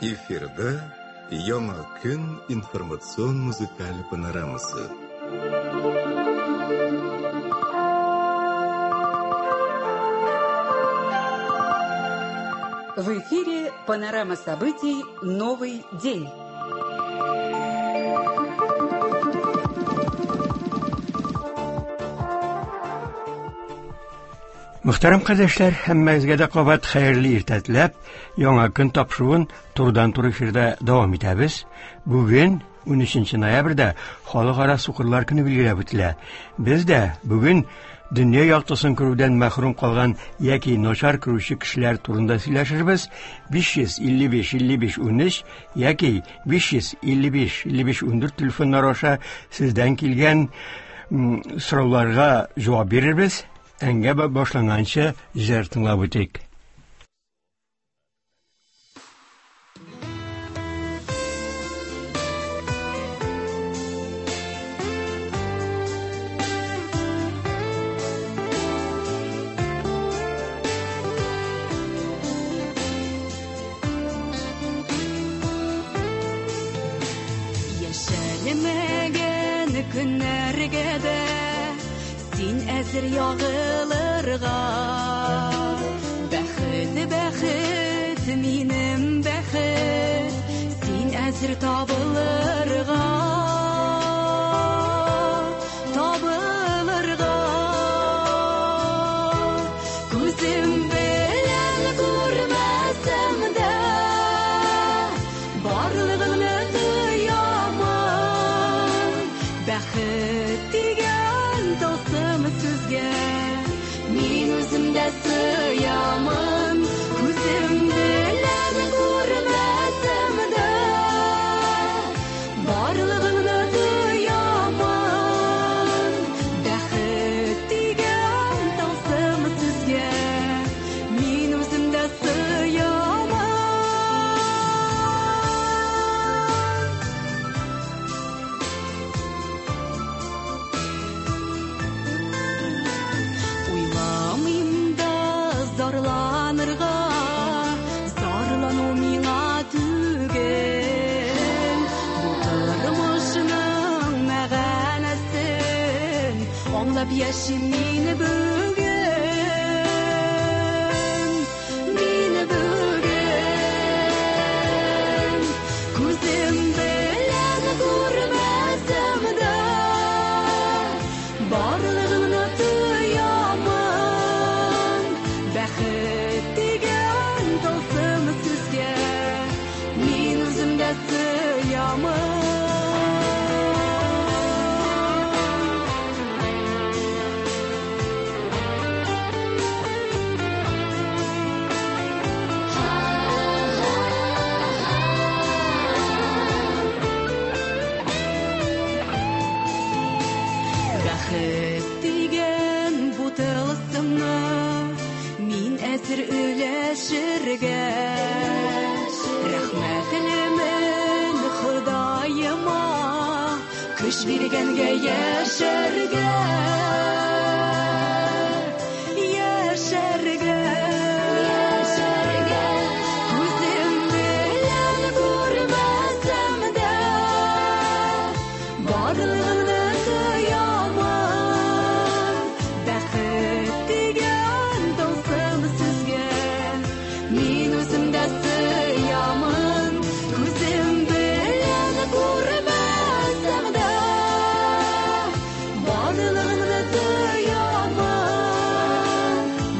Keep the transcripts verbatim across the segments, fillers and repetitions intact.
Эфирда Яңа көн информацион музыкаль панорамасы. В эфире панорама событий «Новый день». Мөхтәрәм кардәшләр, һәммәгезгә дә кабат хәерле иртә теләп, яңа көн тапшыруын турыдан-туры эфирда дәвам итәбез. Бүген унөченче ноябрьдә Халыкара сукырлар көне билгеләп үтелә. Без дә бүген дөнья яктысын күрүдән мәхрүм калган яки начар күрүче кешеләр турында сөйләшербез. биш йөз илле биш илле биш унөч яки биш йөз илле биш илле биш ундүрт телефоннары аша сездән килгән сорауларга җавап бирербез. Әңгәмә башланганчы җыр тыңлап үтик. Яшәлмәгән көннәргә дә син әзер ягылырга. Бәхет, бәхет, минем бәхет, син әзер табылырга. Табылырга. Күзем белән күрмәсәм дә, барлыгыңны тоямын. Бәхет дигән тылсым сүзгә мин үзем дә сыямын. Күзем белән күрмәсәм дә, барлыгыңны тоямын. Бәхет дигән тылсым сүзгә мин үзем дә сыямын. Уйламыйм да зарланырга, зарлану миңа түгел. Бу тормышның мәгънәсен аңлап яшим мин бүген, мин бүген. Күзем белән күрмәсәм дә, барлыгыңны тоямын. Бәхет дигән тылсым сүзгә мин үзем дә сыямын. Бәхет дигән бу тылсымны мин әзер өләшергә. Рәхмәтлемен Ходаема, көч биргәнгә яшәргә. Яшәргә. Күзем белән күрмәсәм дә, барлыгыңны тоямын. Бәхет дигән тылсым сүзгә мин үзем дә сыямын. Күзем белән күрмәсәм дә, барлыгыңны тоямын.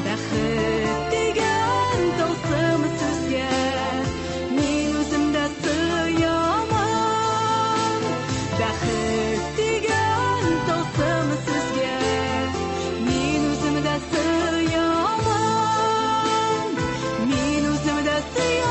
Бәхет дигән тылсым сүзгә мин үзем дә сыямын. Бәхет дигән тылсым сүзгә мин үзем дә сыямын. Мин үзем дә сыямын.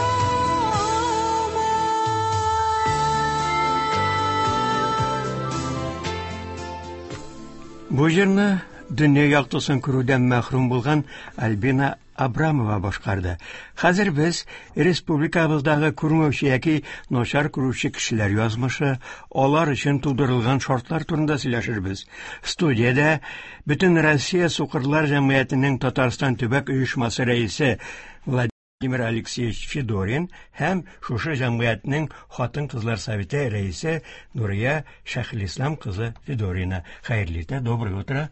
Бу җырны дөнья яктысын күрүдән мәхрүм булган Альбина Абрамова башкарды. Хәзер без республикабыздагы күрмәүче яки начар күрүче кешеләр язмышы, алар өчен тудырылган шартлар турында сөйләшербез. Студиядә Бөтен Россия сукырлар җәмгыятенең Татарстан төбәк оешмасы рәисе Владимир Владимир Алексеевич Федорин һәм шушы җәмгыятьнең хатын-кызлар советы рәисе Нурия Шәйхелислам кызы Федорина. Хәерле иртә, доброе утро.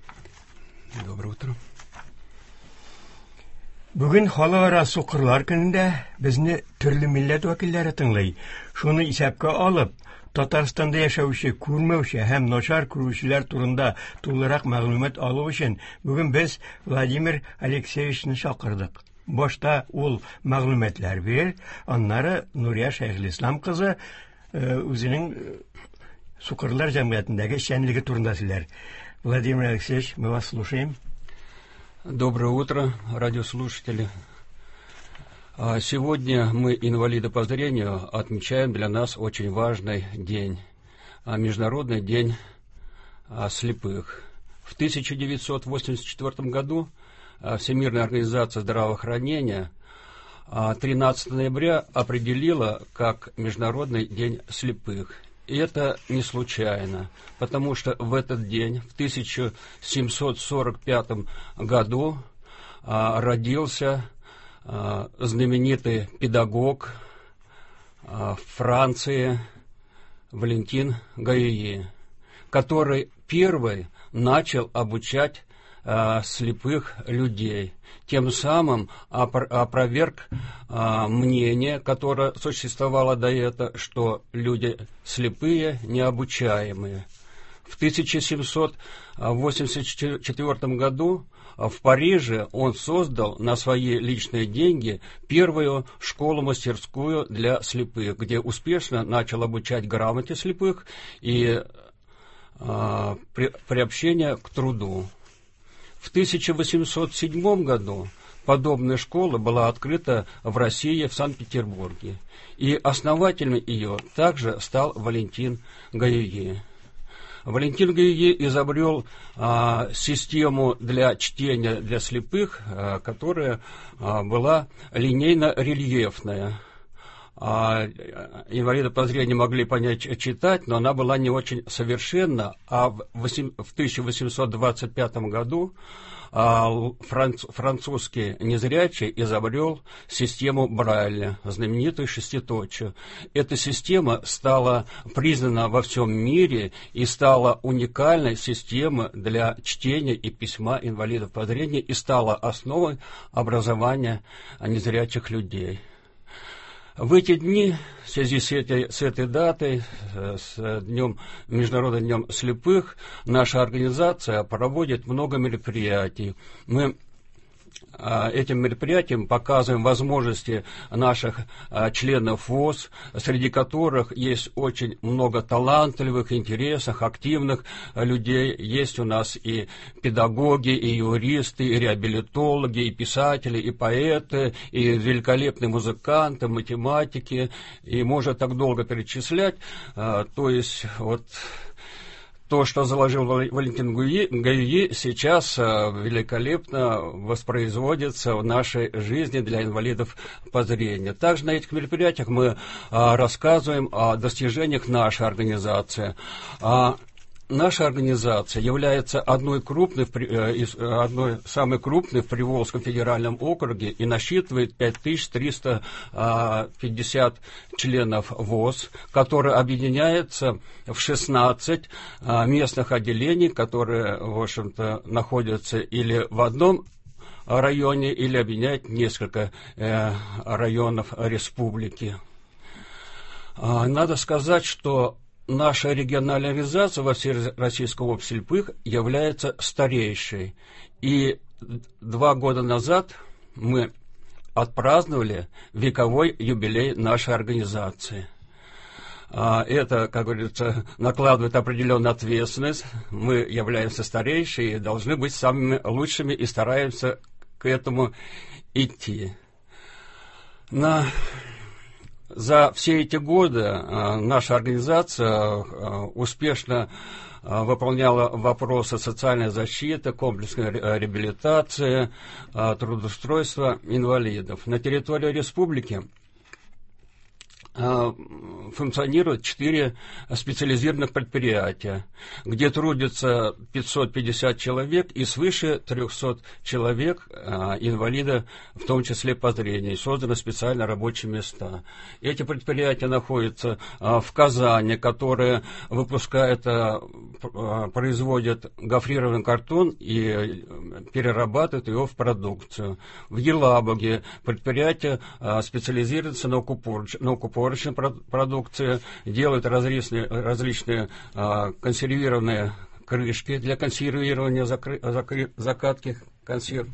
Доброе утро. Бүген халыкара сукырлар көнендә безне төрле милләт вәкилләре тыңлый. Шуны исәпкә алып, Татарстанда яшәүче, күрмәүче һәм начар күрүчеләр турында тулырак мәгълүмат алу өчен бүген без Владимир Алексеевичны чакырдык. Башта ул мәгълүматлар бирер, аннары Нурия Шәйхелислам кызы үзенең сукырлар җәмгыятендәге эшчәнлеге турында сөйләр. Владимир Алексеевич, мы вас слушаем. Доброе утро, радиослушатели. Сегодня мы, инвалиды по зрению, отмечаем для нас очень важный день, Международный день слепых. В тысяча девятьсот восемьдесят четвёртом году Всемирная организация здравоохранения тринадцатого ноября определила как Международный день слепых. И это не случайно, потому что в этот день, в тысяча семьсот сорок пятом году, родился знаменитый педагог Франции Валентин Гаюи, который первый начал обучать слепых людей, тем самым опроверг мнение, которое существовало до этого, что люди слепые необучаемые. В тысяча семьсот восемьдесят четвёртом году в Париже он создал на свои личные деньги первую школу-мастерскую для слепых, где успешно начал обучать грамоте слепых и приобщение к труду. В тысяча восемьсот седьмом году подобная школа была открыта в России, в Санкт-Петербурге, и основателем ее также стал Валентин Гаюи. Валентин Гаюи изобрел а, систему для чтения для слепых, а, которая а, была линейно-рельефная. А, инвалиды по зрению могли понять читать, но она была не очень совершенна. А в, в тысяча восемьсот двадцать пятом году а, франц, французский незрячий изобрел систему Брайля, знаменитую шеститочию. Эта система стала признана во всем мире и стала уникальной системой для чтения и письма инвалидов по зрению и стала основой образования незрячих людей. В эти дни, в связи с этой, с этой датой, с днем, Международным днем слепых, наша организация проводит много мероприятий. Мы этим мероприятием показываем возможности наших членов ВОС, среди которых есть очень много талантливых, интересных, активных людей. Есть у нас и педагоги, и юристы, и реабилитологи, и писатели, и поэты, и великолепные музыканты, математики, и можно так долго перечислять. То есть вот то, что заложил Валентин Гаюи, сейчас великолепно воспроизводится в нашей жизни для инвалидов по зрению. Также на этих мероприятиях мы рассказываем о достижениях нашей организации. Наша организация является одной, крупной, одной самой крупной в Приволжском федеральном округе и насчитывает пять тысяч триста пятьдесят членов ВОС, которые объединяются в шестнадцать местных отделений, которые, в общем-то, находятся или в одном районе, или объединяют несколько районов республики. Надо сказать, что наша региональная организация во Всероссийском обществе слепых является старейшей. И два года назад мы отпраздновали вековой юбилей нашей организации. Это, как говорится, накладывает определенную ответственность. Мы являемся старейшими и должны быть самыми лучшими и стараемся к этому идти. На... За все эти годы наша организация успешно выполняла вопросы социальной защиты, комплексной реабилитации, трудоустройства инвалидов. На территории республики функционирует четыре специализированных предприятия, где трудится пятьсот пятьдесят человек и свыше трёхсот человек инвалида, в том числе по зрению. Созданы специально рабочие места. Эти предприятия находятся в Казани, которые выпускают, производят гофрированный картон и перерабатывают его в продукцию. В Елабуге предприятие специализируется на укупорочной продукции, делают различные, различные а, консервированные крышки для консервирования, закры, закры, закатки консерв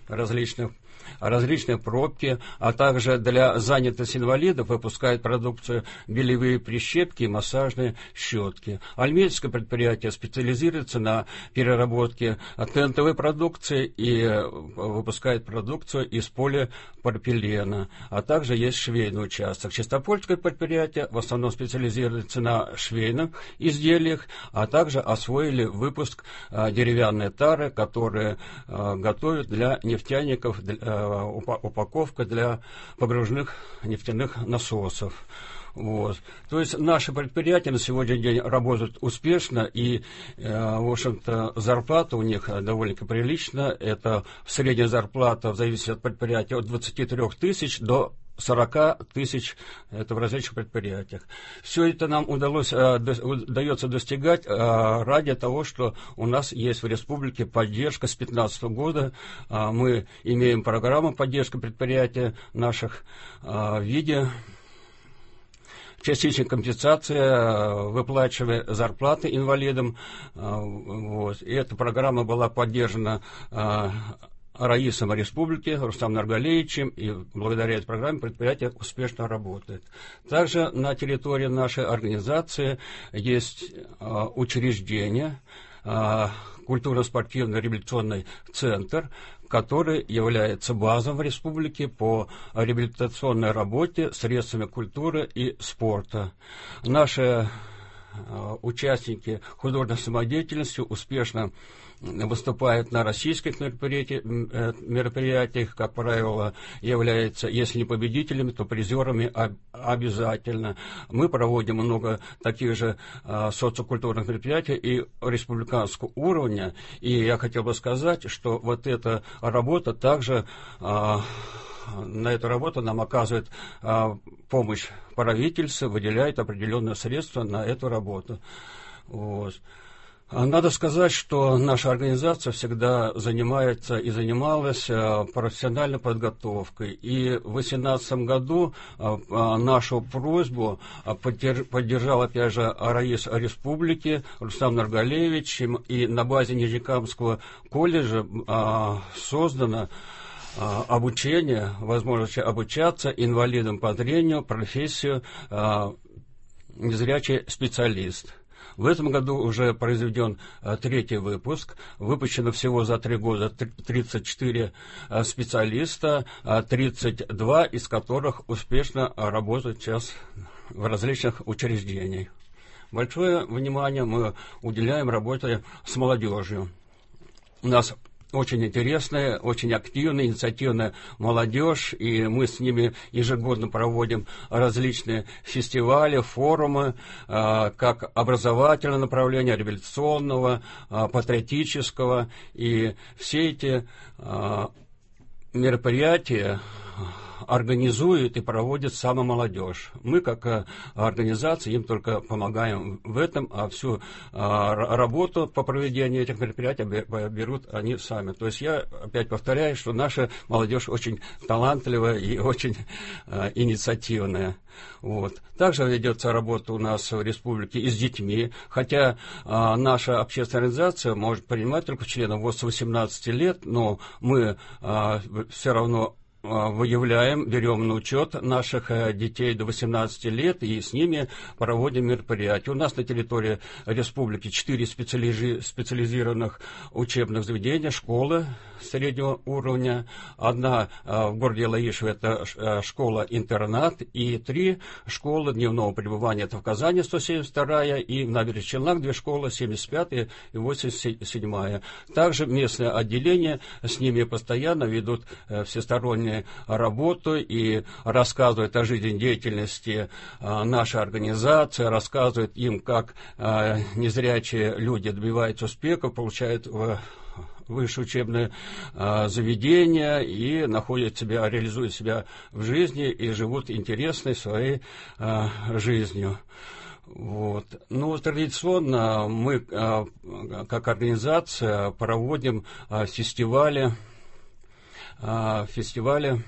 различных, различные пробки, а также для занятости инвалидов выпускают продукцию белевые прищепки и массажные щетки. Альметьевское предприятие специализируется на переработке тентовой продукции и выпускает продукцию из полипропилена, а также есть швейный участок. Чистопольское предприятие в основном специализируется на швейных изделиях, а также освоили выпуск деревянной тары, которые готовят для нефтяников, для упаковка для погружных нефтяных насосов. Вот. То есть наши предприятия на сегодняшний день работают успешно, и, в общем-то, зарплата у них довольно-таки прилична. Это средняя зарплата, в зависимости от предприятия, от двадцати трёх тысяч до сорока тысяч, это в различных предприятиях. Все это нам удалось, удается достигать ради того, что у нас есть в республике поддержка с две тысячи пятнадцатого года. Мы имеем программу поддержки предприятий наших в виде частичной компенсации, выплачивая зарплаты инвалидам. Вот. И эта программа была поддержана Раисом Республики Рустамом Нургалиевичем, и благодаря этой программе предприятие успешно работает. Также на территории нашей организации есть учреждение, культурно-спортивный реабилитационный центр, который является базой в республике по реабилитационной работе средствами культуры и спорта. Наши участники художественной самодеятельности успешно выступают на российских мероприятиях, как правило, являются, если не победителями, то призерами обязательно. Мы проводим много таких же социокультурных мероприятий и республиканского уровня, и я хотел бы сказать, что вот эта работа также, на эту работу нам оказывает помощь правительство, выделяет определенные средства на эту работу. Вот. Надо сказать, что наша организация всегда занимается и занималась профессиональной подготовкой. И в две тысячи восемнадцатом году нашу просьбу поддержал, опять же, Раис Республики Рустам Нургалиевич. И на базе Нижнекамского колледжа создано обучение, возможность обучаться инвалидам по зрению, профессию незрячий специалист. В этом году уже произведен третий выпуск. Выпущено всего за три года тридцать четыре специалиста, тридцать два из которых успешно работают сейчас в различных учреждениях. Большое внимание мы уделяем работе с молодежью. У нас очень интересная, очень активная, инициативная молодежь, и мы с ними ежегодно проводим различные фестивали, форумы, как образовательного направления, реабилитационного, патриотического, и все эти мероприятия организует и проводит сама молодежь. Мы, как организация, им только помогаем в этом, а всю работу по проведению этих мероприятий берут они сами. То есть я опять повторяю, что наша молодежь очень талантливая и очень инициативная. Вот. Также ведется работа у нас в республике и с детьми, хотя а, наша общественная организация может принимать только членов с восемнадцати лет, но мы а, все равно выявляем, берем на учет наших детей до восемнадцати лет и с ними проводим мероприятия. У нас на территории республики четыре специализированных учебных заведения, школы среднего уровня. Одна в городе Лаишево, это школа-интернат, и три школы дневного пребывания. Это в Казани сто семьдесят вторая и в Набережных Челнах две школы, семьдесят пятая и восемьдесят седьмая. Также местное отделение, с ними постоянно ведут всесторонние ними работу и рассказывают о жизнедеятельности нашей организации, рассказывают им, как незрячие люди добиваются успеха, получают высшее учебное заведение и находят себя, реализуют себя в жизни и живут интересной своей жизнью. Вот. Ну, традиционно мы, как организация, проводим фестивали, фестивали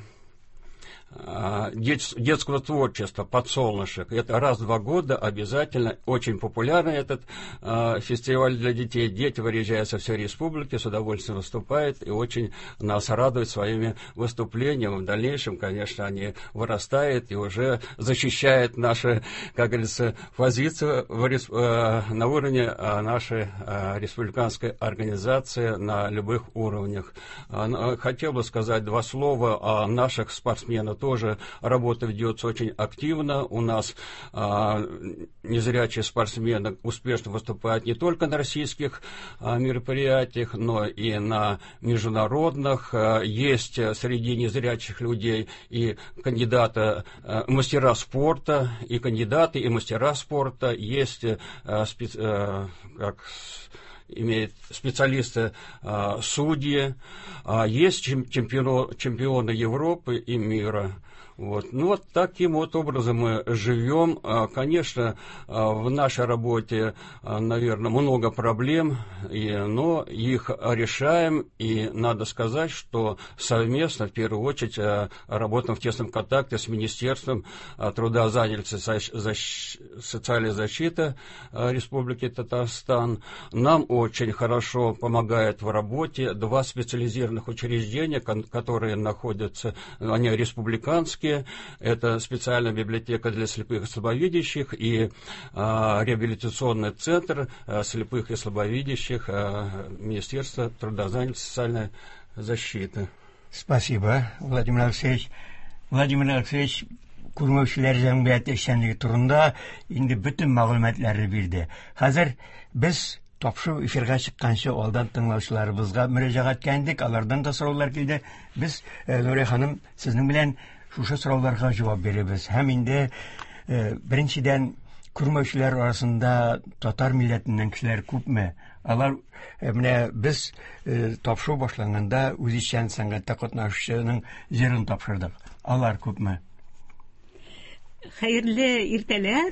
детского творчества «Подсолнушек». Это раз в два года обязательно. Очень популярный этот э, фестиваль для детей. Дети выезжают со всей республики, с удовольствием выступают и очень нас радуют своими выступлениями. В дальнейшем, конечно, они вырастают и уже защищают наши, как говорится, позицию в, э, на уровне нашей э, республиканской организации на любых уровнях. Хотел бы сказать два слова о наших спортсменах. Тоже работа ведется очень активно. У нас а, незрячие спортсмены успешно выступают не только на российских а, мероприятиях, но и на международных. А, есть среди незрячих людей и кандидаты, а, мастера спорта, и кандидаты, и мастера спорта. Есть а, специ, а, как имеет специалисты, судьи, есть чемпионы, чемпионы Европы и мира. Вот. Ну, вот таким вот образом мы живем. Конечно, в нашей работе, наверное, много проблем, и, но их решаем. И надо сказать, что совместно, в первую очередь, работаем в тесном контакте с Министерством труда, занятости, социальной защиты Республики Татарстан. Нам очень хорошо помогает в работе два специализированных учреждения, которые находятся, они республиканские. Это специальная библиотека для слепых и слабовидящих и а, реабилитационный центр а, слепых и слабовидящих а, Министерства труда, занятости, социальной защиты. Спасибо, Владимир Алексеевич. Владимир Алексеевич күрмәүчеләр җәмгыяте эшчәнлеге турында инде бөтен мәгълүматларны бирде. Хәзер без тапшыру эфирга чыкканчы алдан тыңлаучыларыбызга мөрәҗәгать иттек, алардан да сораулар килде. Без, Нурия ханым, сезнең белән шушы сорауларга җавап бирәбез. Һәм инде беренчедән күрмәүчеләр арасында татар милләтеннән кешеләр күпме? Алар менә без тапшыру башланганда үзешчән сәнгатьтә катнашучының җырын тапшырдык. Алар күпме? Хәерле иртәләр,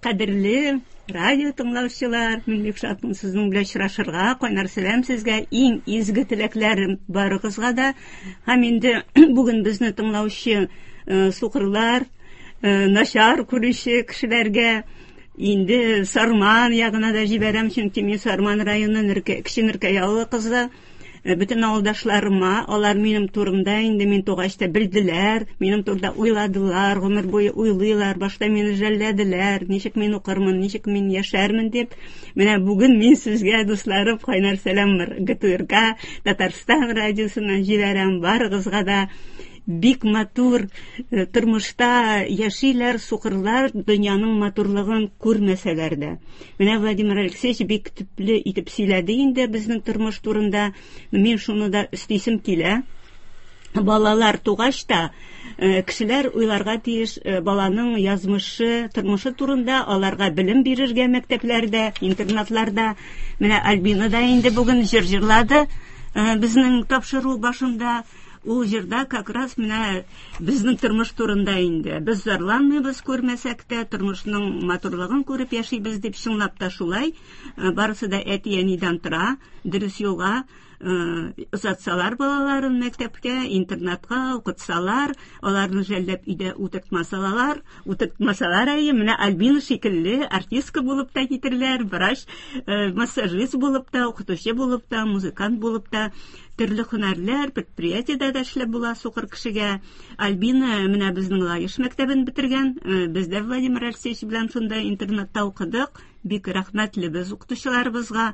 кадерле радио тыңлаучылар, мин бик шатмын сезнең белән очрашырга. Кайнар сәлам сезгә, иң изге теләкләрем барыгызга да. Һәм инде бүген безне тыңлаучы сукырлар, начар күрүче кешеләргә инде Сарман ягына да җибәрәм, чөнки мин Сарман районы Нөркә, Кече Нөркәй авылы кызы. Бөтен авылдашларыма, алар минем турымда инде мин тугач та белделәр, минем турыда уйладылар, гомер буе уйлыйлар, башта мине жәлләделәр, ничек мин укырмын, ничек мин яшәрмен дип. Менә бүген мин сезгә, дусларым, кайнар сәлам гэ тэ эр ка Татарстан радиосыннан җибәрәм барыгызга да. Бик матур тормышта яшиләр, сукырлар дөньяның матурлыгын күрмәсәләр дә. Менә Владимир Алексеевич бик төпле итеп сөйләде инде безнең тормыш турында. Мин шуны да өстисем килә. Балалар тугач та кешеләр уйларга тиеш баланың язмышы, тормышы турында, аларга белем бирергә мәктәпләрдә, интернатларда. Менә Альбина да инде бүген җыр җырлады безнең тапшыру башында. Ул җырда как раз менә безнең тормыш турында инде. Без зарланмыйбыз күрмәсәк тә, тормышның матурлыгын күреп яшибез дип, чынлап та шулай. Барысы да әти-әнидән тора, дөрес юлга озатсалар балаларын мәктәпкә, интернатка укытсалар, аларны жәлләп өйдә утыртмасалар, утыртмасалар әйе, менә Альбина шикелле артистка булып та китерләр, врач, массажист булып та, укытучы булып та, музыкант булып та, төрле һөнәрләр, предприятиедә дә эшләп була сукыр кешегә. Альбина менә безнең Лаеш мәктәбен бетергән, без дә Владимир Алексеевич белән шунда интернатта укыдык. Бик рәхмәтле без укытучыларыбызга.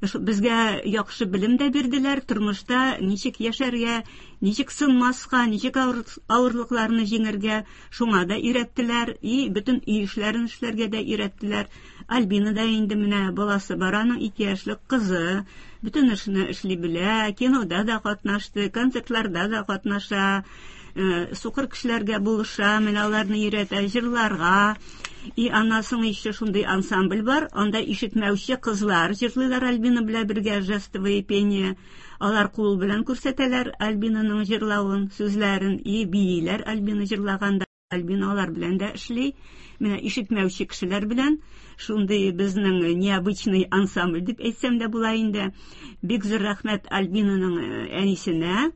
Безгә яхшы белем дә бирделәр, тормышта ничек яшәргә, ничек сынмаска, ничек авырлыкларны җиңәргә, шуңа да өйрәттеләр, и бөтен өй эшләрен эшләргә дә өйрәттеләр. Альбина да инде менә баласы бар, аның ике яшьлек кызы, бөтен эшне эшли белә, кинода да катнашты, концертларда да катнаша, сукыр кешеләргә булыша, менә аларны өйрәтә җырларга. И аннан соң еще шундый ансамбль бар, анда ишетмәүче кызлар җырлыйлар Альбина белән бергә, жестовое пение. Алар кул белән күрсәтәләр Альбинаның җырлавын, сүзләрен, и бииләр Альбина җырлаганда. Альбина алар белән дә эшли. Менә ишетмәүче кешеләр белән шундый безнең необычный ансамбль дип әйтсәм дә була инде. Бик зур рәхмәт Альбинаның әнисенә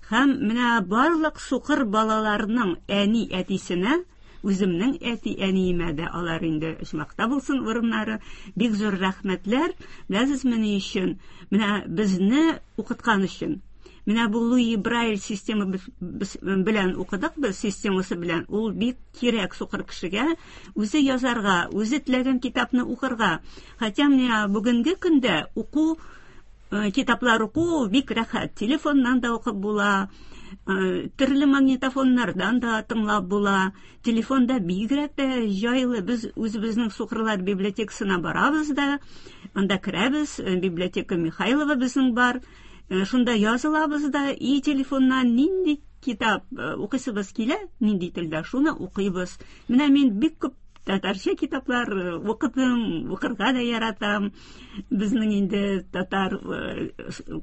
һәм менә барлык сукыр балаларның әни әтисенә, үземнең әти әниемә дә, алар инде оҗмахта булсын урыннары. Бик зур рәхмәтләр. Беләсезме ни өчен? Менә безне укыткан өчен. Менә бу Луи Брайль система белән укыдык без, системасы белән. Ул бик кирәк сукыр кешегә, үзе язарга, үзе теләгән китапны укырга. Хотя менә бүгенге көндә уку, китаплар уку бик рәхәт. Телефоннан да укып була, төрле магнитофоннардан да тыңлап була. Телефонда бигрәк тә җайлы. Без үзебезнең сукырлар библиотекасына барабыз да, анда керәбез, библиотека Михайлова безнең бар. Шунда язылабыз да, и телефоннан нинди китап укыйсыбыз килә, нинди телдә, шуны укыйбыз. Менә мин бик күп татарча китаплар укыдым, укырга да яратам. Безнең инде татар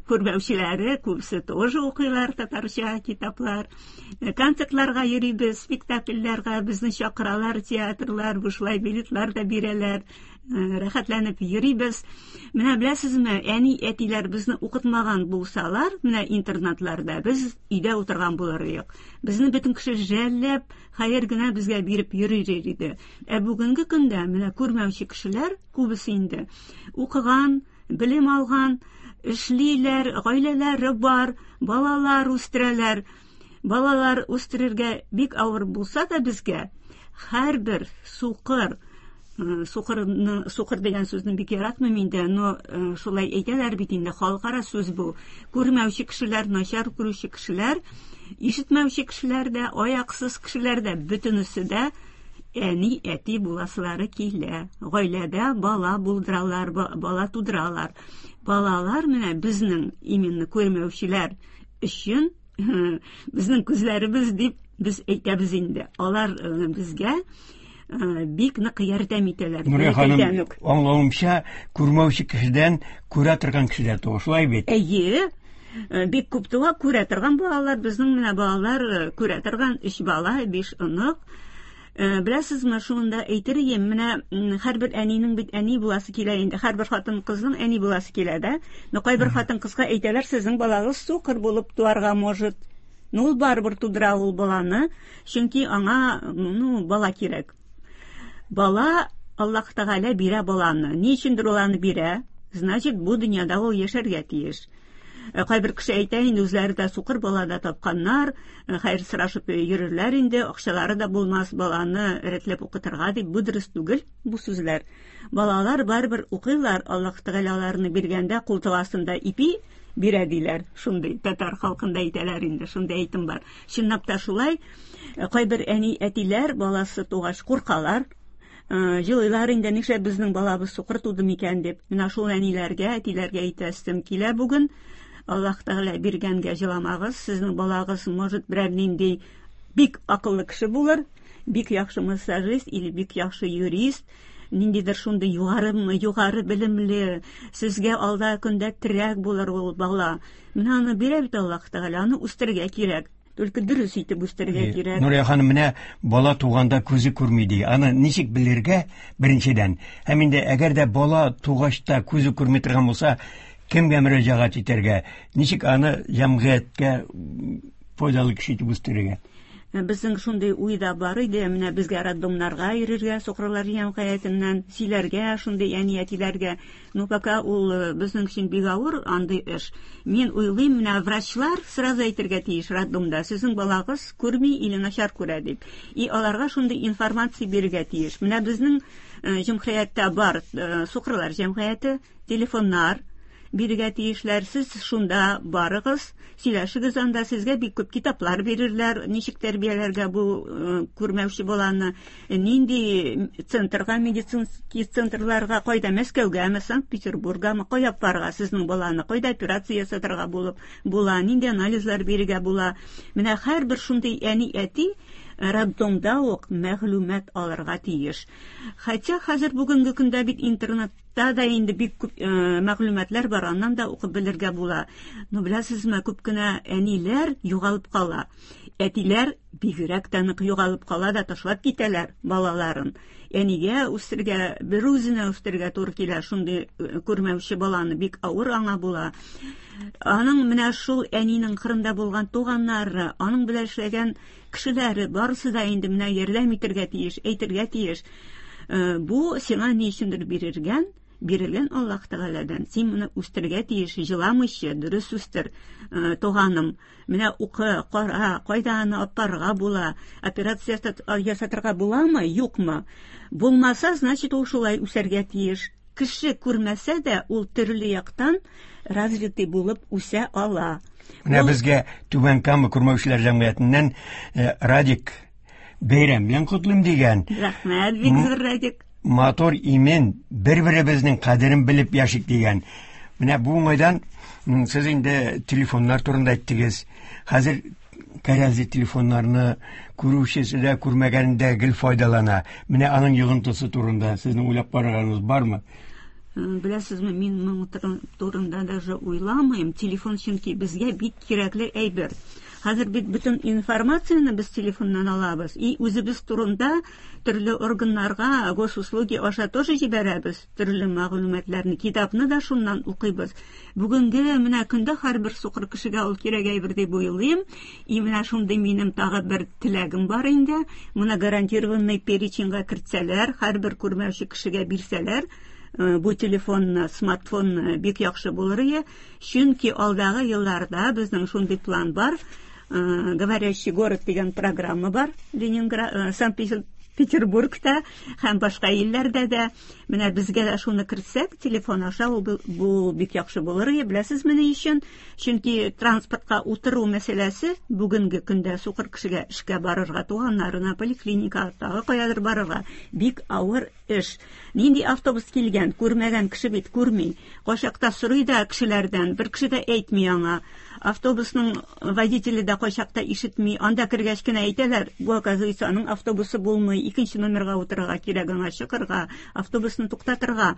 күрмәүчеләре күбесе тоже укыйлар татарча китаплар. Концертларга йөрибез, спектакльләргә безне чакыралар, театрлар, бушлай билетлар да бирәләр. Рәхәтләнеп йөрибез. Менә беләсезме, әни әтиләр безне укытмаган булсалар, менә интернатларда без өйдә утырган булыр идек. Безне бөтен кеше жәлләп, хәер генә безгә биреп йөрер иде. Ә бүгенге көндә менә күрмәүче кешеләр күбесе инде укыган, белем алган, эшлиләр, гаиләләре бар, балалар үстерәләр. Балалар үстерергә бик авыр булса да безгә һәрбер сукыр, сукырны, сукыр дигән сүзне бик яратмыйм инде, но шулай әйтәләр бит инде, халыкара сүз бу. Күрмәүче кешеләр, начар күрүче кешеләр, ишетмәүче кешеләр дә, аяксыз кешеләр дә, бөтенесе дә әни әти буласылары килә. Гаиләдә бала булдыралар, бала тудыралар. Балалар менә безнең именно күрмәүчеләр өчен безнең күзләребез дип без әйтәбез инде. Алар безгә бик нык ярдәм итәләр. Нурия ханым, аңлавымча, күрмәүче кешедән күрә торган кешеләр туа, шулай бит? Әйе, бик күп туа, күрә торган балалар. Безнең менә балалар күрә торган өч бала, биш онык. Беләсезме, шунда әйтер идем, менә һәрбер әнинең бит әни буласы килә инде, һәрбер хатын-кызның әни буласы килә дә. Но кайбер хатын-кызга әйтәләр, сезнең балагыз сукыр булып туарга может. Ну, ул барыбер тудыра ул баланы, чөнки аңа, ну, бала кирәк. Бала Аллаһ Тәгалә бирә баланы. Ни өчендер ул аны бирә? Значит, бу дөньяда ул яшәргә тиеш. Кайбер кеше әйтә инде, үзләре дә сукыр бала да тапканнар, хәер сорашып йөрерләр инде, акчалары да булмас баланы рәтләп укытырга дип. Бу дөрес түгел, бу сүзләр. Балалар барыбер укыйлар, Аллаһ Тәгалә аларны биргәндә култык астында ипи бирә диләр. Шундый татар халкында әйтәләр инде, шундый әйтем бар. Чынлап та шулай, кайбер әни әтиләр баласы тугач куркалар, җылыйлар инде, нишләп безнең балабыз сукыр туды микән дип. Менә шул әниләргә, әтиләргә әйтәсем килә бүген. Аллаһ Тәгалә биргәнгә җыламагыз, сезнең балагыз может берәр нинди бик акыллы кеше булыр, бик яхшы массажист или бик яхшы юрист, ниндидер шундый югары, югары белемле, сезгә алда көндә терәк булыр ул бала. Менә аны бирә бит Аллаһ Тәгалә, аны үстерергә кирәк. Только дөрес итеп үстерергә кирәк. Нурия ханым, менә бала туганда күзе күрми ди. Аны ничек белергә беренчедән? Һәм инде әгәр дә бала тугач та күзе күрми торган булса, кемгә мөрәҗәгать итәргә? Ничек аны җәмгыятькә файдалы кеше итеп үстерергә? Безнең шундый уй да бар иде, менә безгә роддомнарга йөрергә, сукырлар җәмгыятеннән сөйләргә, шундый әни әтиләргә. Ну, пока ул безнең өчен бик авыр андый эш. Мин уйлыйм, менә врачлар сразу әйтергә тиеш роддомда, сезнең балагыз күрми или начар күрә дип. И аларга шундый информация бирергә тиеш. Менә безнең җәмгыятьтә бар сукырлар җәмгыяте, телефоннар. бирергә тиешләр. Сез шунда барыгыз, сөйләшегез анда, сезгә бик күп китаплар бирерләр, ничек тәрбияләргә бу күрмәүче баланы, нинди центрга, медицинский центрларга, кайда Мәскәүгәме, Санкт-Петербургамы, кая барырга сезнең баланы, кайда операция ясатырга булып була, нинди анализлар бирергә була. Менә һәрбер шундый әни әти роддомда ук мәгълүмат алырга тиеш. Хотя хәзер бүгенге көндә бит интернетта да инде бик күп мәгълүматлар бар, аннан да укып белергә була. Но беләсезме, күп кенә әниләр югалып кала. Әтиләр бигрәк тә нык югалып кала да ташлап китәләр балаларын. Әнигә үстерергә, бер үзенә үстерергә туры килә шундый күрмәүче баланы, бик авыр аңа була. Аның менә шул әнинең кырында булган туганнары, аның белән эшләгән кешеләре барысы да инде менә ярдәм итәргә тиеш, әйтергә тиеш. Бу сиңа ни өчендер бирелгән, бирелгән Аллаһ Тәгаләдән. Син моны үстерергә тиеш, җыламыйча, дөрес үстер, туганым. Менә укы, кара, кайда аны апарга була, операция ясатырга буламы, юкмы? Булмаса, значит, ул шулай үсәргә тиеш. Кеше күрмәсә дә, ул төрле яктан развитый булып үсә ала. Менә безгә Түбән Кама күрмәүчеләр җәмгыятеннән Радик бәйрәм белән котлыйм дигән. Рәхмәт, бик зур Радик. Матур, имен, бер-беребезнең кадерен белеп яшик дигән. Менә бу уңайдан сез инде телефоннар турында әйттегез. Хәзер кәрәзле телефоннарны күрүчесе дә, күрмәгәне дә гел файдалана. Менә аның йогынтысы турында сезнең уйлап караганыгыз бармы? Беләсезме, мин моның турында даже уйламыйм. Телефон чөнки безгә бик кирәкле әйбер. Хәзер бит бөтен информацияне без телефоннан алабыз. И үзебез турында төрле органнарга, госуслуги аша тоже җибәрәбез төрле мәгълүматларны, китапны да шуннан укыйбыз. Бүгенге менә көндә һәрбер сукыр кешегә ул кирәк әйбер дип уйлыйм. И менә шундый минем тагы бер теләгем бар инде. Моны гарантированный переченьга кертсәләр, һәрбер күрмәүче кешегә бирсәләр, бу телефонны, смартфонны бик яхшы булыр иде. Чөнки алдагы елларда безнең шундый план бар. Говорящий город дигән программа бар Ленинград, Санкт-Петербургта һәм башка илләрдә дә. Менә безгә дә шуны кертсәк, телефон аша ул бу бик яхшы булыр иде. Беләсезме ни өчен? Чөнки транспортка утыру мәсьәләсе бүгенге көндә сукыр кешегә эшкә барырга, туганнарына, поликлиникага, тагы каядыр барырга бик авыр эш. Нинди автобус килгән, күрмәгән кеше бит күрми. Кайчакта сорый да кешеләрдән, бер кеше дә әйтми аңа. Автобусның водителе дә кайчакта ишетми. Анда кергәч кенә әйтәләр, бу, оказывается, аның автобусы булмый, икенче номерга утырырга кирәк, аңа чыгарга, автобусны туктатырга.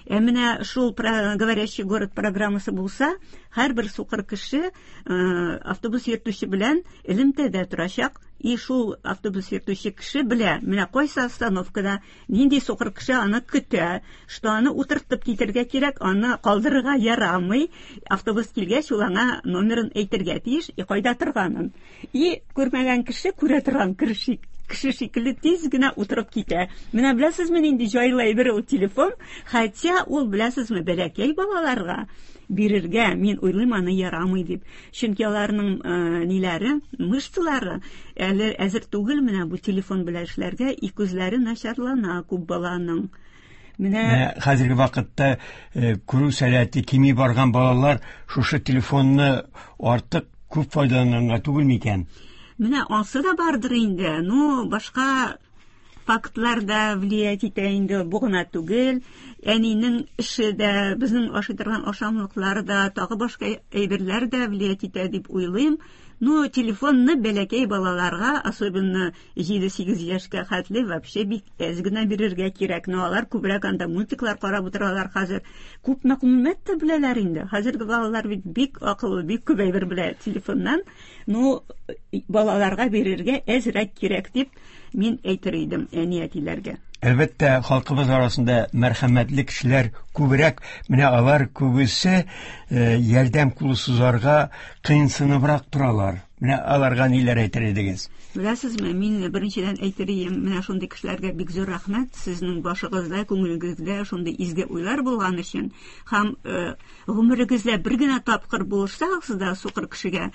Ә менә шул говорящий город программасы булса, һәрбер сукыр кеше автобус йөртүче белән элемтәдә торачак. И шул автобус йөртүче кеше белә, менә кайсы остановкада нинди сукыр кеше аны көтә, что аны утыртып китергә кирәк, аны калдырырга ярамый. Автобус килгәч, ул аңа номерын әйтергә тиеш, и кайда торганын. И күрмәгән кеше күрә торган кеше кеше шикелле тиз генә утырып китә. Менә беләсезме нинди җайлы әйбер ул телефон? Хотя ул, беләсезме, бәләкәй балаларга бирергә, мин уйлыйм, аны ярамый дип. Чөнки аларның ниләре, мышцалары әле әзер түгел менә бу телефон белән эшләргә, и күзләре начарлана күп баланың. Менә хәзерге вакытта күрү сәләте кими барган балалар шушы телефонны артык күп файдаланганга түгел микән? Менә ансы да бардыр инде. Ну, башка фактлар да влиять итә инде, бу гына түгел. Әнинең эше дә, безнең ашый торган ашамлыклар да, тагы башка әйберләр дә влиять итә дип уйлыйм. Ну, телефонны бәләкәй балаларга, особенно җиде-сигез яшькә хәтле, вообще бик әз генә бирергә кирәк. Но алар күбрәк анда мультиклар карап утыралар хәзер. Күп мәгълүмат та беләләр инде. Хәзерге балалар бит бик акыллы, бик күп әйбер белә телефоннан. Ну, балаларга бирергә әзрәк кирәк дип мин әйтер идем әни-әтиләргә. Әлбәттә, халкыбыз арасында мәрхәмәтле кешеләр күбрәк, менә алар күбесе ярдәм кулы сузарга кыенсыныбрак торалар. Менә аларга ниләр әйтер идегез? Беләсезме, мин беренчедән әйтер идем, менә шундый кешеләргә бик зур рәхмәт, сезнең башыгызда, күңелегездә шундый изге уйлар булган өчен һәм гомерегездә бер генә тапкыр булышсагыз да сукыр кешегә,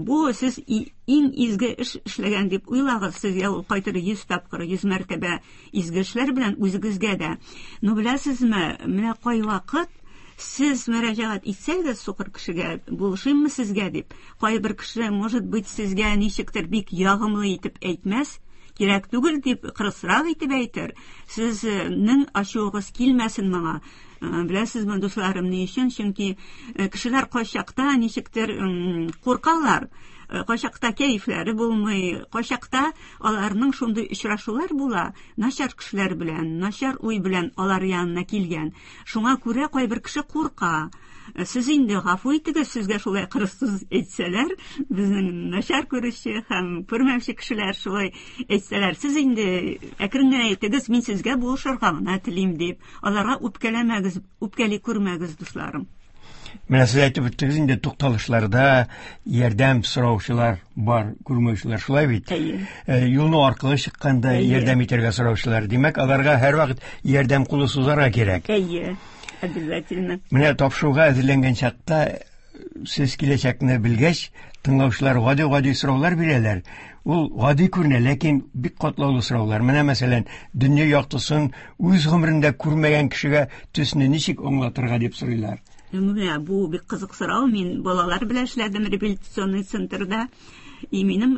бу сез иң изге эш эшләгән дип уйлагыз, сезгә ул кайтыр йөз тапкыр, йөз мәртәбә изге эшләр белән үзегезгә дә. Но беләсезме, менә кайвакыт Сез мөрәҗәгать итсәгез сукыр кешегә, булышыйммы сезгә дип, кайбер кеше, может быть, сезгә ничектер бик ягымлы итеп әйтмәс, кирәк түгел дип кырысрак итеп әйтер. Сезнең ачуыгыз килмәсен моңа. Беләсезме, дусларым, ни өчен? Чөнки кешеләр кайчакта ничектер куркалар, кайчакта кәефләре булмый, кайчакта аларның шундый очрашулар була, начар кешеләр белән, начар уй белән алар янына килгән. Шуңа күрә кайбер кеше курка. Сез инде гафу итегез, сезгә шулай кырыссыз әйтсәләр, безнең начар күрүче һәм күрмәүче кешеләр шулай әйтсәләр, сез инде әкрен генә әйтегез, мин сезгә булышырга гына телим дип, аларга үпкәләмәгез, үпкәли күрмәгез, дусларым. Менә сез әйтеп үттегез инде, тукталышларда ярдәм сораучылар бар, күрмәүчеләр, шулай бит? Әйе. Юлны аркылы чыкканда ярдәм итәргә сораучылар. Димәк, аларга һәрвакыт ярдәм кулы сузарга кирәк. Әйе. Обязательно. Менә тапшыруга әзерләнгән чакта сез киләчәкне белгәч, тыңлаучылар гади-гади сораулар бирәләр. Ул гади күренә, ләкин бик катлаулы сораулар. Менә мәсәлән, дөнья яктысын үз гомерендә күрмәгән кешегә төсне ничек аңлатырга дип сорыйлар. Менә бу бик кызык сорау. Мин балалар белән эшләдем реабилитационный центрда. И минем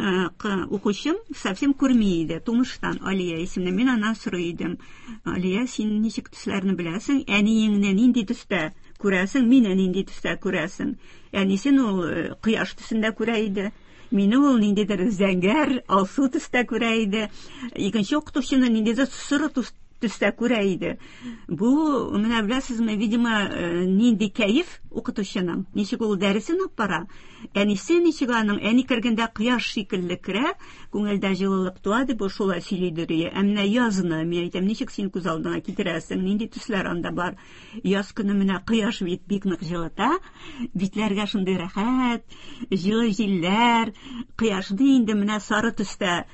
укучым совсем күрми иде, тумыштан, Алия исемле. Мин аннан сорый идем: Алия, син ничек төсләрне беләсең? Әниеңне нинди төстә күрәсең? Мине нинди төстә күрәсең? Әнисен ул кояш төсендә күрә иде. Мине ул ниндидер зәңгәр, алсу төстә күрә иде. Икенче укытучыны ниндидер соры төстә күрә иде. Бу, менә беләсезме, видимо, нинди кәеф укытучының, ничек ул дәресен алып бара. Әнисе ничек аның, әни кергәндә кояш шикелле керә, күңелдә җылылык туа дип шулай сөйлидер. Ә менә язны, мин әйтәм, ничек син күз алдыңа китерәсең, нинди төсләр анда бар? Яз көне менә кояш бит бик нык җылыта, битләргә шундый рәхәт, җылы җилләр, кояшны инде менә сары төстә,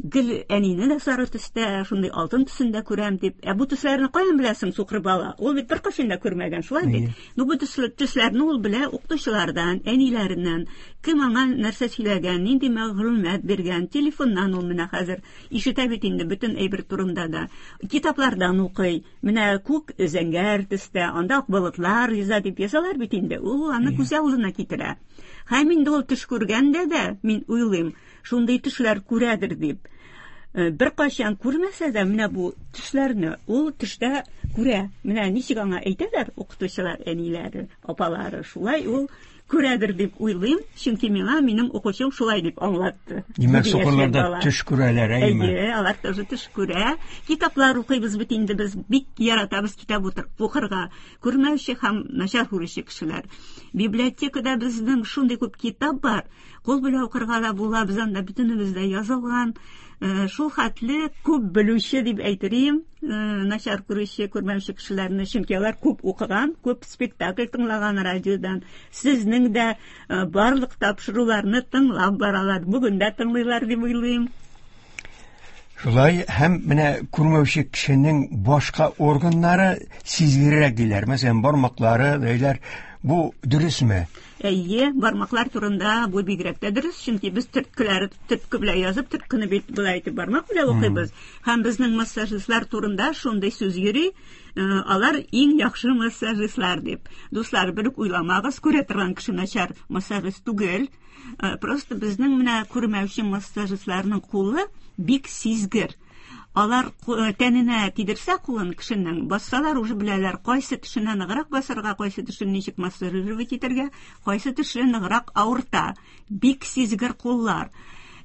гел әнине дә сары төстә, шундый алтын төсендә күрәм дип. Ә бу төсләрне каян беләсең, сукыр бала? Ул бит беркайчан да күрмәгән, шулай бит? Ну бу төсләрне ул белә укытучылардан, әниләреннән, кем аңа нәрсә сөйләгән, нинди мәгълүмат биргән, телефоннан ул менә хәзер ишетә бит инде бөтен әйбер турында да. Китаплардан укый. Менә күк зәңгәр төстә, анда ак болытлар йөзә дип язалар бит инде. Ул аны күз алдына китерә. Һәм инде ул төш күргәндә дә, мин уйлыйм, шундый төшләр күрәдер дип. Бер кайчан күрмәсә дә, менә бу төшләрне ул төштә күрә. Менә ничек аңа әйтәләр укытучылар, әниләре, апалары, шулай ул күрәдер дип уйлыйм, чөнки миңа минем укучым шулай дип аңлатты. Димәк, сукырлар да төш күрәләр, әйеме? Әйе, алар тоже төш күрә. Китаплар укыйбыз бит инде, без бик яратабыз китап укырга. Күрмәүче һәм начар күрүче кешеләр. Библиотекада безнең шундый күп китап бар. Кул белән укырга да була, без анда бөтенебез дә язылган. Шул хәтле күп белүче дип әйтерим, начар күрүче, күрмәүче кешеләрне, чөнки алар күп укыган, күп спектакль тыңлаган радиодан. Сезнең дә барлык тапшыруларны тыңлап баралар, бүген дә тыңлыйлар дип уйлыйм. Шулай, һәм менә күрмәүче кешенең башка органнары сизгеррәк диләр. Мәсәлән, бармаклары, диләр. Бу дөресме? Әйе, бармаклар турында бу бигрәк тә дөрес, чөнки без төрткеләр, төртке белән язып, төрткене бит болай итеп бармак белән укыйбыз. Һәм безнең массажистлар турында шундый сүз йөри, алар иң яхшы массажистлар дип. Дуслар, бер үк уйламагыз, күрә торган кеше начар массажист түгел. Просто безнең менә күрмәүче массажистларның кулы бик сизгер. Алар тәненә тидерсә кулын кешенең, бассалар уже беләләр, кайсы төшенә ныграк басарга, кайсы төшен ничек массажировать итәргә, кайсы төше ныграк авырта. Бик сизгер куллар.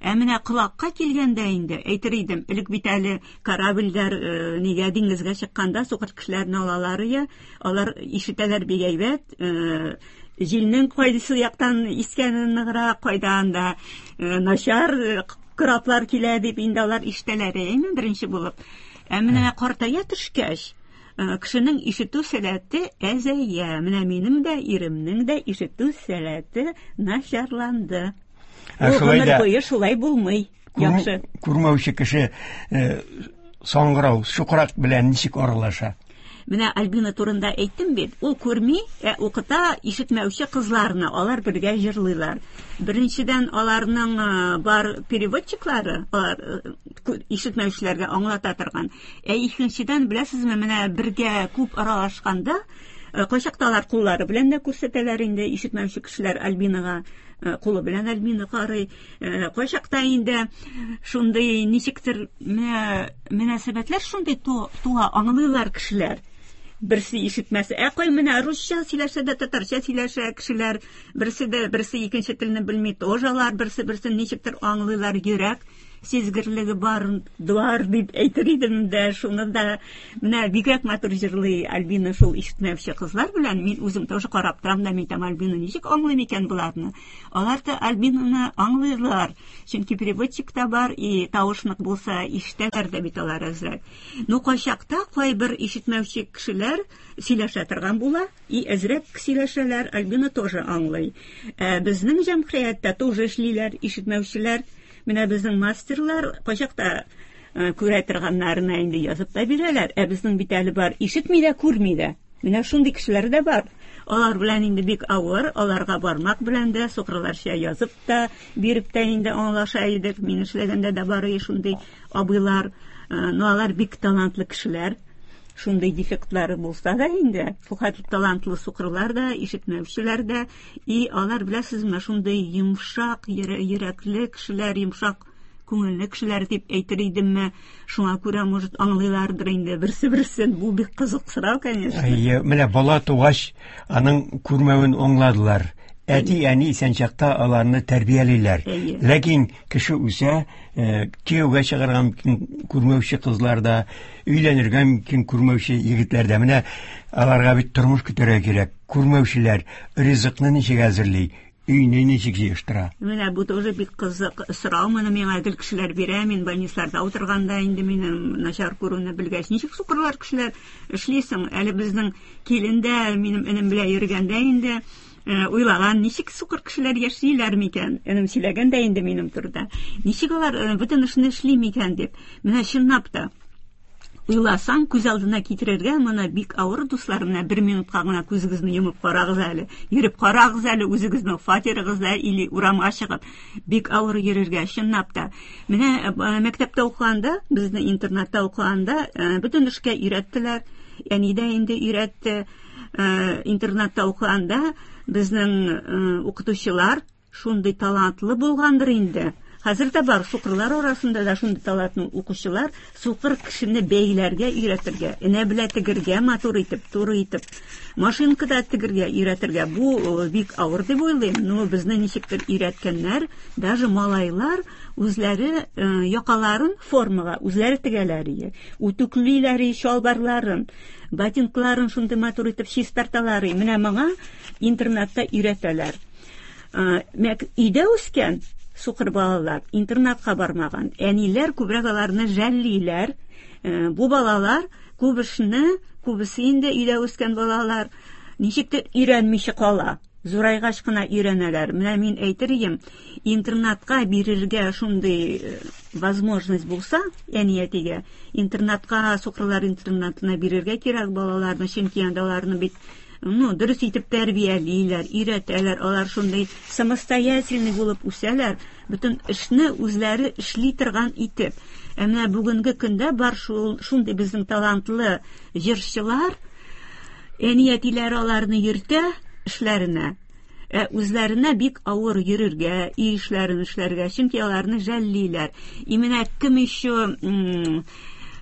Ә менә колакка килгәндә инде, әйтер идем, элек бит әле корабльләр нигә диңгезгә чыкканда сукыр кешеләрне алалар я, алар ишетәләр бик әйбәт, җилнең кайсы яктан искәнен ныграк, кайда анда начар кораблар килә дип инде алар ишетәләр, әйме, беренче булып. Ә менә картая төшкәч, кешенең ишетү сәләте әзәя. Менә минем дә, иремнең дә ишетү сәләте начарланды. Ул гомер буе шулай булмый. Яхшы. Күрмәүче кеше саңгырау, чукрак белән ничек аралаша? Менә Альбина турында әйттем бит. Ул күрми, ә укыта ишетмәүче кызларны, алар бергә җырлыйлар. Беренчедән, аларның бар переводчиклары, алар ишетмәүчеләргә аңлата торган. Ә икенчедән, беләсезме, менә бергә күп аралашканда, Кайчакта алар куллары белән дә күрсәтәләр инде, ишетмәүче кешеләр Альбинага кулы белән Альбина карый. Кайчакта инде шундый ничектер менә мөнәсәбәтләр шундый туа, аңлыйлар кешеләр. Берсе ишетмәсә, ә кай менә русча сөйләшә дә, татарча сөйләшә кешеләр, берсе дә берсе икенче телне белми, тоже алар берсе берсен ничектер аңлыйлар, йөрәк сизгерлеге бар, бар дип әйтер идем дә, шуны да менә бигрәк матур җырлый Альбина шул ишетмәүче кызлар белән. Мин үзем тоже карап торам да, мин әйтәм, Альбина ничек аңлый микән боларны? Алар да Альбинаны аңлыйлар, чөнки переводчик та бар, и тавыш нык булса ишетәләр дә бит алар әзрәк. Ну, кайчакта кайбер ишетмәүче кешеләр сөйләшә торган була, и әзрәк сөйләшәләр, Альбина тоже аңлый. Ә безнең җәмгыятьтә тоже эшлиләр ишетмәүчеләр. Менә безнең мастерлар кайчакта күрә торганнарына инде язып та бирәләр. Ә безнең бит әле бар, ишетми дә, күрми дә. Менә шундый кешеләр дә бар. Алар белән инде бик авыр, аларга бармак белән дә, сукырларча язып та, биреп тә инде аңлаша идек. Мин эшләгәндә дә бар иде шундый абыйлар. Но алар бик талантлы кешеләр. Шундый дефектлары булса да инде, шул хәтле талантлы сукырлар да, ишетмәүчеләр дә, и алар, беләсезме, шундый йомшак йөрәкле кешеләр, йомшак күңелле кешеләр дип әйтер идемме, шуңа күрә, может, аңлыйлардыр инде берсе-берсен. Бу бик кызык сорау, конечно. Әйе, менә бала тугач, аның күрмәвен аңладылар. Әти-әни исән чакта аларны тәрбиялиләр. Ләкин кеше үсә, кияүгә чыгарга мөмкин күрмәүче кызлар да, өйләнергә мөмкин күрмәүче егетләр дә. Менә аларга бит тормыш көтәргә кирәк. Күрмәүчеләр ризыкны ничек әзерли, өйне ничек җыештыра? Менә бу тоже бик кызык сорау. Моны миңа гел кешеләр бирә. Мин больницаларда утырганда инде минем начар күрүне белгәч, ничек сукырлар кешеләр эшлисең? Әле безнең килен дә минем энем белән йөргәндә инде уйлаган, ничек сукыр кешеләр яшиләр микән? Энем сөйләгән дә инде минем турыда. Ничек алар бөтен эшне эшли микән дип. Менә чынлап та уйласаң, күз алдына китерергә моны бик авыр, дуслар. Менә бер минутка гына күзегезне йомып карагыз әле. Йөреп карагыз әле үзегезнең фатирыгызда или урамга чыгып. Бик авыр йөрергә, чынлап та. Менә мәктәптә укыганда, безне интернатта укыганда, бөтен эшкә өйрәттеләр. Әни дә инде өйрәтте. Интернатта укыганда безнең укытучылар шундый талантлы булгандыр инде. Хәзер дә бар, сукырлар арасында да шундый талантлы укучылар, сукыр кешене бәйләргә өйрәтергә, энә белән тегергә, матур итеп, туры итеп, машинкада тегергә өйрәтергә. Бу бик авыр дип уйлыйм. Но безне ничектер өйрәткәннәр, даже малайлар үзләре якаларын формага үзләре тегәләр иде. Үтүклиләр чалбарларын, ботинкаларын шундый матур итеп чистарталар. Менә моңа интернатта өйрәтәләр. Өйдә үскән сукыр балалар интернатка бармаган. Әниләр күбрәк аларны жәллиләр. Бу балалар күп эшне, күбесе инде өйдә үскән балалар ничектер өйрәнмичә кала. Зурайгач кына өйрәнәләр. Менә мин әйтер идем, интернатка бирергә шундый возможность булса, әни әтигә, интернатка, сукырлар интернатына бирергә кирәк балаларны, чөнки анда аларны бит ну, дөрес итеп тәрбиялиләр, өйрәтәләр, алар шундый самостоятельный булып үсәләр, бөтен эшне үзләре эшли торган итеп. Ә менә бүгенге көндә бар шул шундый безнең талантлы җырчылар, әни әтиләре аларны йөртә эшләренә. Ә үзләренә бик авыр йөрергә, өй эшләрен эшләргә, чөнки аларны жәллиләр. И менә кем еще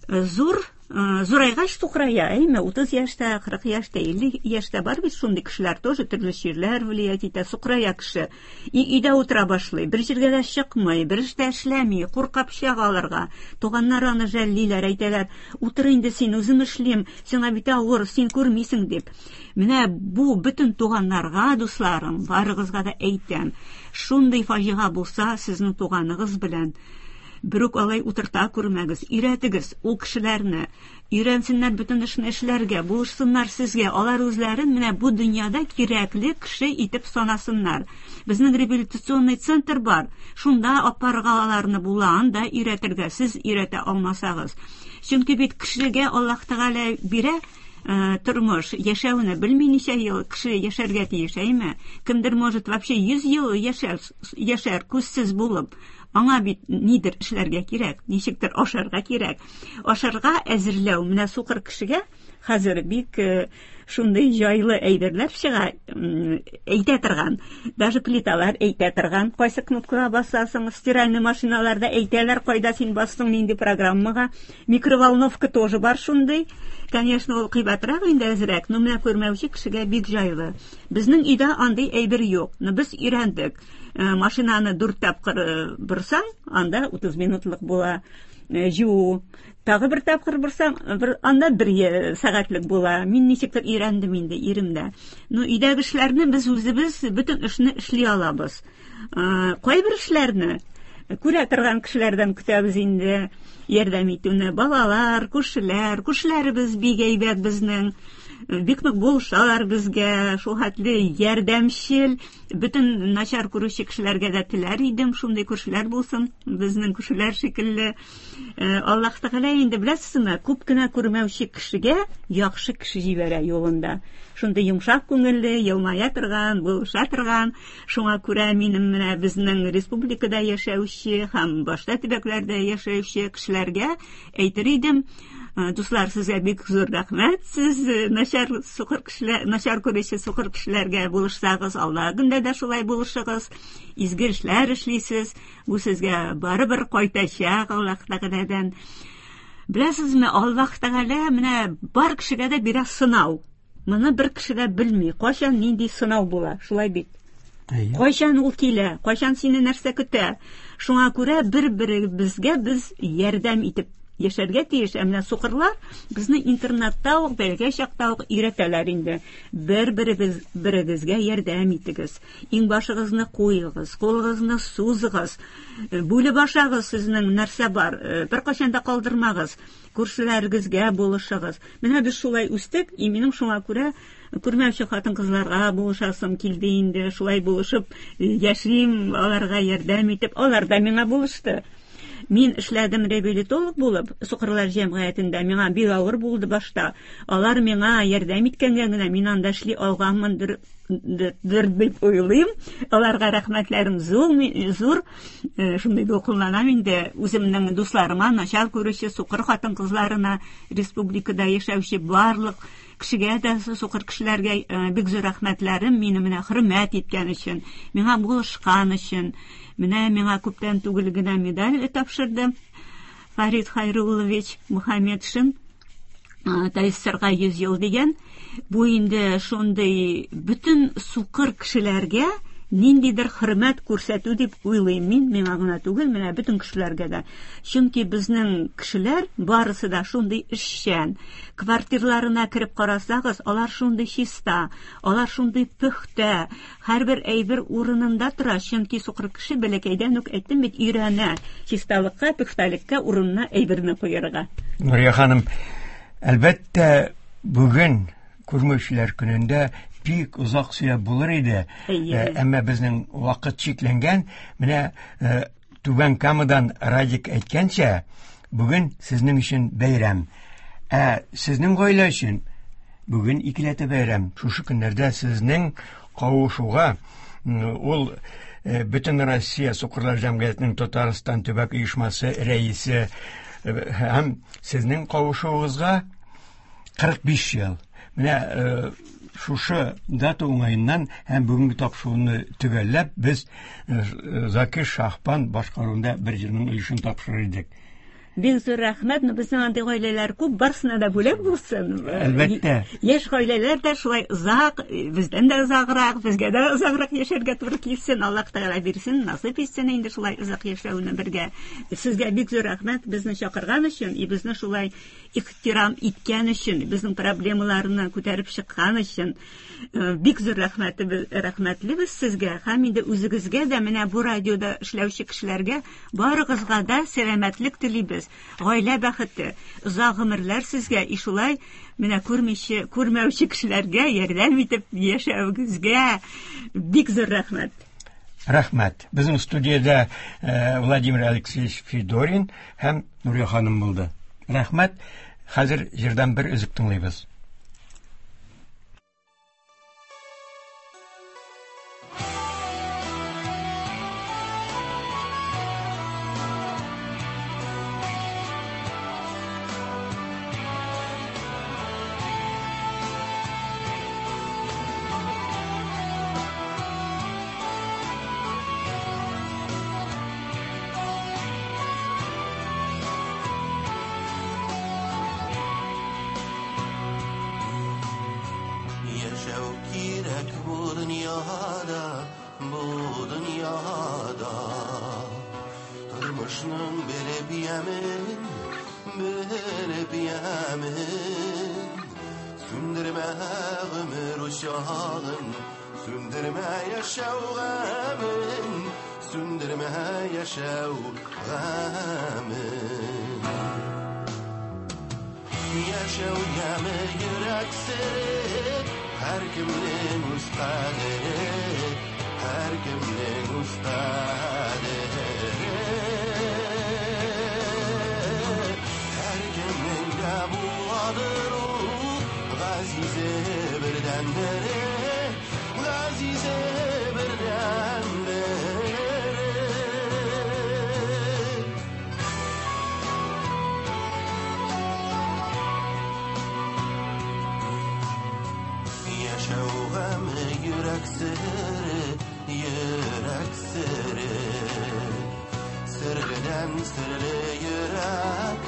зур зурайгач сукырая, әйме, утыз яшьтә, кырык яшьтә, илле яшьтә бар бит шундый кешеләр тоже, төрле чирләр влиять итә, сукырая кеше. И өйдә утыра башлый, бер җиргә дә чыкмый, бер эштә эшләми, курка пычак алырга. Туганнар аны жәллиләр, әйтәләр, утыр инде син, үзем эшлим, сиңа бит авыр, син күрмисең дип. Менә бу бөтен туганнарга, дусларым, барыгызга да әйтәм, шундый фаҗига булса, сезнең туганыгыз белән берүк алай утырта күрмәгез, өйрәтегез ул кешеләрне, өйрәнсеннәр бөтен эшне эшләргә, булышсыннар сезгә, алар үзләрен менә бу дөньяда кирәкле кеше итеп санасыннар. Безнең реабилитационный центр бар, шунда апарга аларны була, анда өйрәтергә, сез өйрәтә алмасагыз. Чөнки бит кешегә Аллаһ Тәгалә бирә тормыш, яшәүне белми ничә ел кеше яшәргә тиеш, әйме? Кемдер может вообще йөз ел яшәр, яшәр күзсез булып. Аңа бит нидер эшләргә кирәк, ничектер ашарга кирәк. Ашарга әзерләү менә сукыр кешегә хәзер бик шундый җайлы әйберләр чыга, әйтә торган. Даже плиталар әйтә торган. Кайсы кнопкага басасың, стиральный машиналарда әйтәләр, кайда син бастың, нинди программага. Микроволновка тоже бар шундый. Конечно, ул кыйбатрак инде әзрәк, но менә күрмәүче кешегә бик җайлы. Безнең өйдә андый әйбер юк. Но без өйрәндек. Машинаны дүрт тапкыр борсаң, анда утыз минутлык була жуу. Тагы бер тапкыр борсаң, бер анда бер сәгатьлек була. Мин ничектер өйрәндем инде иремдә. Но өйдәге эшләрне без үзебез бөтен эшне эшли алабыз. Кайбер эшләрне күрә торган кешеләрдән көтәбез инде ярдәм итүне. Балалар, күршеләр, күршеләребез бик әйбәт безнең. Бик нык булышалар безгә, шул хәтле ярдәмчел. Бөтен начар күрүче кешеләргә дә теләр идем, шундый күршеләр булсын, безнең күршеләр шикелле. Аллаһ Тәгалә инде беләсезме, күп кенә күрмәүче кешегә яхшы кеше җибәрә юлында. Шундый йомшак күңелле, елмая торган, булыша торган. Шуңа күрә минем менә безнең республикада яшәүче һәм башка төбәкләрдә яшәүче кешеләргә әйтер идем: дуслар, сезгә бик зур рәхмәт. Сез начар сукыр кешеләр, начар күрүче сукыр кешеләргә булышсагыз, Алла көндә дә шулай булышыгыз, изге эшләр эшлисез. Бу сезгә барыбер кайтачак Аллаһ Тәгаләдән. Беләсезме, Аллаһ Тәгалә менә бар кешегә дә бирә сынау. Моны бер кеше дә белми, кайчан нинди сынау була, шулай бит. Кайчан ул килә, кайчан сине нәрсә көтә. Шуңа күрә бер-беребезгә без ярдәм итеп яшәргә тиеш. Ә менә сукырлар безне интернатта ук, бәләкәй чакта ук өйрәтәләр инде. Бер-беребез берегезгә ярдәм итегез. Иңбашыгызны куегыз, кулыгызны сузыгыз, бүлеп ашагыз, сезнең нәрсә бар, беркайчан да калдырмагыз. Күршеләрегезгә булышыгыз. Менә без шулай үстек, и минем шуңа күрә күрмәүче хатын-кызларга булышасым килде инде. Шулай булышып яшим, аларга ярдәм итеп, алар да миңа булышты. Мин эшләдем реабилитолог булып, сукырлар җәмгыятендә. Миңа бик авыр булды башта. Алар миңа ярдәм иткәнгә генә мин анда эшли алганмындыр дип уйлыйм. Аларга рәхмәтләрем зур, зур. Шундый дулкынланам инде үземнең дусларыма, начар күрүче сукыр хатын-кызларына, республикада яшәүче барлык кешегә дә, сукыр кешеләргә бик зур рәхмәтләрем, мине менә хөрмәт иткән өчен, миңа булышкан өчен. Менә миңа күптән түгел генә медаль тапшырды Фарид Хайруллович Мухаммедшин. ТАССРга йөз ел дигән. Бу инде шундый бөтен сукыр кешеләргә ниндидер хөрмәт күрсәтү дип уйлыйм мин, миңа гына түгел, менә бөтен кешеләргә дә. Чөнки безнең кешеләр барысы да шундый эшчән. Квартирларына кереп карасагыз, алар шундый чиста, алар шундый пөхтә, һәрбер әйбер урынында тора. Чөнки сукыр кеше бәләкәйдән үк әйттем бит, өйрәнә чисталыкка, пөхтәлеккә, урынына әйберне куярга. Нурия ханым, әлбәттә, бүген күрмәүчеләр көнендә бик озак сөйләп булыр иде. Әмма безнең вакыт чикләнгән. Менә Түбән Камадан Радик әйткәнчә, бүген сезнең өчен бәйрәм. Ә сезнең гаилә өчен бүген икеләтә бәйрәм. Шушы көннәрдә сезнең кавышуга ул Бөтен Россия Сукырлар җәмгыятенең Татарстан төбәк оешмасы рәисе һәм сезнең кавышуыгызга кырык биш ел. Менә шушы дата уңаеннан һәм бүгенге тапшыруны төгәлләп, без Закир Шаһбан башкаруында бер җырның өлешен тапшырыр идек. Бик зур рәхмәт, но безнең андый гаиләләр күп, барысына да бүләк булсын. Әлбәттә. Яшь гаиләләр дә шулай озак, бездән дә озаграк, безгә дә озаграк яшәргә туры килсен, Аллаһ Тәгалә бирсен, насыйп итсен инде шулай озак яшәүне бергә. Сезгә бик зур рәхмәт безне чакырган өчен, и безне шулай ихтирам иткән өчен, безнең проблемаларны күтәреп чыккан өчен бик зур рәхмәтебез, рәхмәтлебез сезгә һәм инде үзегезгә дә, менә бу радиода эшләүче кешеләргә барыгызга да сәламәтлек телибез. Гаилә бәхете, озак гомерләр сезгә, и шулай менә күрмичә, күрмәүче кешеләргә ярдәм итеп яшәвегезгә бик зур рәхмәт. Рәхмәт. Безнең студиядә Владимир Алексеевич Федорин һәм Нурия ханым булды. Рәхмәт. Хәзер җырдан бер өзек тыңлыйбыз. Аның белеп ямен, белеп ямен. Сүндермә гомер учагын, сүндермә яшәү гамен, сүндермә яшәү гамен. Яшәү яме йөрәк сере, һәркемнең үз кадере, һәркемнең үз кадере. Һәркемнең дә буладыр ул газизе бердәнбере, газизе бердәнбере. Яшәү гаме йөрәк сере, йөрәк сере. Серледән серле йөрәк,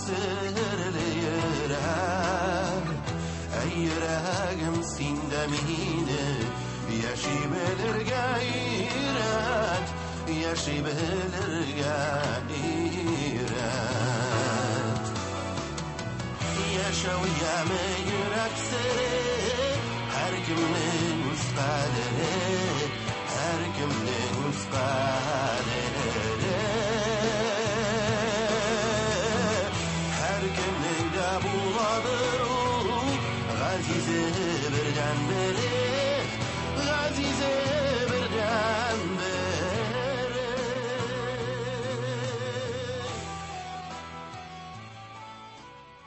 серле йөрәк. Әй йөрәгем, син дә мине яши белергә өйрәт, яши белергә өйрәт. Яшәү яме йөрәк сере, һәркемнең үз кадере, һәркемнең үз кадере.